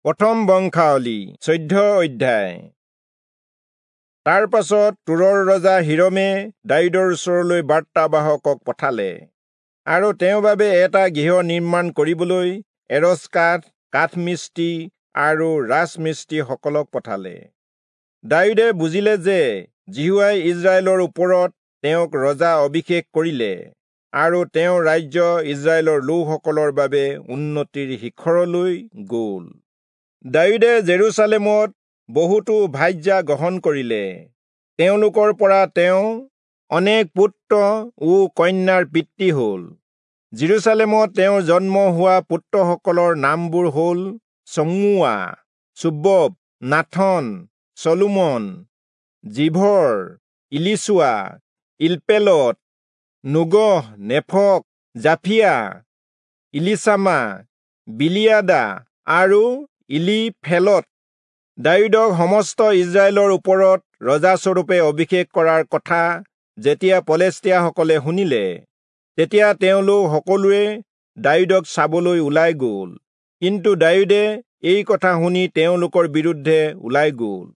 প্ৰথম বংশাৱলী 14 অধ্যায়। তাৰ পাছত তুৰৰ ৰজা হিৰমে দায়ূদৰ ওচৰলৈ বাৰ্তাবাহকক পঠালে আৰু তেওঁৰ বাবে এটা গৃহ নিৰ্মাণ কৰিবলৈ এৰচ কাঠ, কাঠমিস্ত্ৰী আৰু ৰাজমিস্ত্ৰীসকলক পঠালে। দায়ূদে বুজিলে যে যিহোৱাই ইস্ৰায়েলৰ ওপৰত তেওঁক ৰজা অভিষেক কৰিলে আৰু তেওঁৰ ৰাজ্য ইস্ৰায়েলৰ লোকসকলৰ বাবে উন্নতিৰ শিখৰলৈ গ'ল। দায়ূদে জেৰুচালেমত বহুতো ভাৰ্যা গ্ৰহণ কৰিলে। তেওঁলোকৰ পৰা তেওঁ অনেক পুত্ৰ ও কন্যাৰ পিতৃ হ'ল। জেৰুচালেমত তেওঁৰ জন্ম হোৱা পুত্ৰসকলৰ নামবোৰ হ'ল চমুৱা, চোবব, নাথন, চলোমন, জিভৰ, ইলিচুৱা, ইলপেলট, নোগহ, নেফক, জাফিয়া, ইলিচামা, বিলিয়াদা আৰু ইলিফেলট। দায়ূদক সমস্ত ইস্ৰায়েলৰ ওপৰত ৰজাস্বৰূপে অভিষেক কৰাৰ কথা যেতিয়া পলেষ্টীয়াসকলে শুনিলে, তেতিয়া তেওঁলোক সকলোৱে দায়ূদক চাবলৈ ওলাই গ'ল। কিন্তু দায়ূদে এই কথা শুনি তেওঁলোকৰ বিৰুদ্ধে ওলাই গ'ল।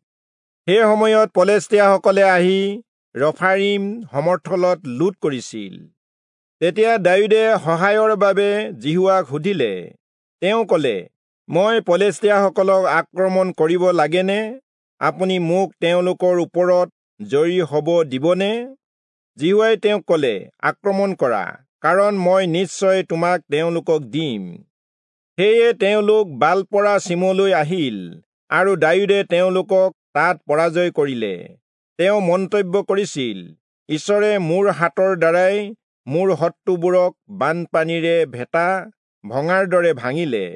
সেই সময়ত পলেষ্টীয়াসকলে আহি ৰফাৰিম সমৰ্থলত লুট কৰিছিল। তেতিয়া দায়ূদে সহায়ৰ বাবে যিহোৱাক সুধিলে। তেওঁ ক'লে, মই পলেষ্টীয়াসকলক আক্ৰমণ কৰিব লাগেনে? আপুনি মোক তেওঁলোকৰ ওপৰত জয়ী হ'ব দিবনে? যিহোৱাই তেওঁক ক'লে, আক্ৰমণ কৰা, কাৰণ মই নিশ্চয় তোমাক তেওঁলোকক দিম। সেয়ে তেওঁলোক বালপৰা চিমলৈ আহিল আৰু দায়ূদে তেওঁলোকক তাত পৰাজয় কৰিলে। তেওঁ মন্তব্য কৰিছিল, ঈশ্বৰে মোৰ হাতৰ দ্বাৰাই মোৰ শত্ৰুবোৰক বানপানীৰে ভেটা ভঙাৰ দৰে ভাঙিলে।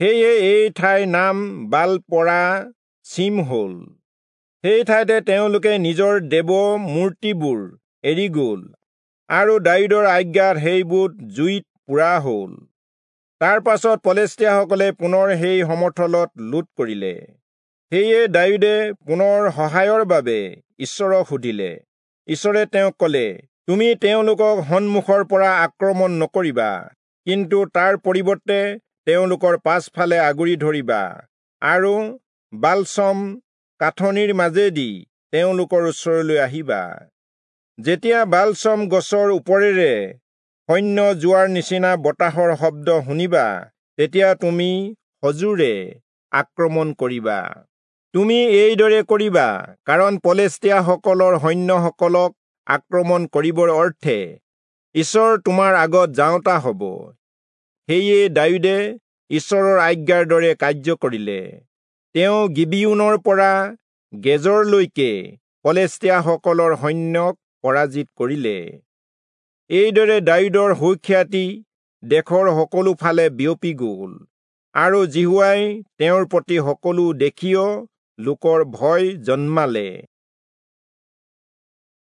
সেয়ে এই ঠাইৰ নাম বালপৰা চিম হ'ল। সেই ঠাইতে তেওঁলোকে নিজৰ দেৱ মূৰ্তিবোৰ এৰি গ'ল আৰু দায়ূদৰ আজ্ঞাত সেইবোৰ জুইত পোৰা হ'ল। তাৰ পাছত পলেষ্টীয়াসকলে পুনৰ সেই সমৰ্থলত লুট কৰিলে। সেয়ে দায়ূদে পুনৰ সহায়ৰ বাবে ঈশ্বৰক সুধিলে। ঈশ্বৰে তেওঁক ক'লে, তুমি তেওঁলোকক সন্মুখৰ পৰা আক্ৰমণ নকৰিবা, কিন্তু তাৰ পৰিৱৰ্তে তেওঁলোকৰ পাছফালে আগুৰি ধৰিবা আৰু বালচম কাঠনিৰ মাজেদি তেওঁলোকৰ ওচৰলৈ আহিবা। যেতিয়া বালচম গছৰ ওপৰেৰে সৈন্য যোৱাৰ নিচিনা বতাহৰ শব্দ শুনিবা, তেতিয়া তুমি সজোৰে আক্ৰমণ কৰিবা। তুমি এইদৰে কৰিবা, কাৰণ পলেষ্টীয়াসকলৰ সৈন্যসকলক আক্ৰমণ কৰিবৰ অৰ্থে ঈশ্বৰ তোমাৰ আগত যাওঁতা হ'ব। সেয়ে দায়ূদে ঈশ্বৰৰ আজ্ঞাৰ দৰে কাৰ্য কৰিলে। তেওঁ গিবিয়োনৰ পৰা গেজৰলৈকে পলেষ্টীয়াসকলৰ সৈন্যক পৰাজিত কৰিলে। এইদৰে দায়ূদৰ সুখ্যাতি দেশৰ সকলো ফালে বিয়পি গ'ল আৰু যিহোৱাই তেওঁৰ প্ৰতি সকলো দেশীয় লোকৰ ভয় জন্মালে।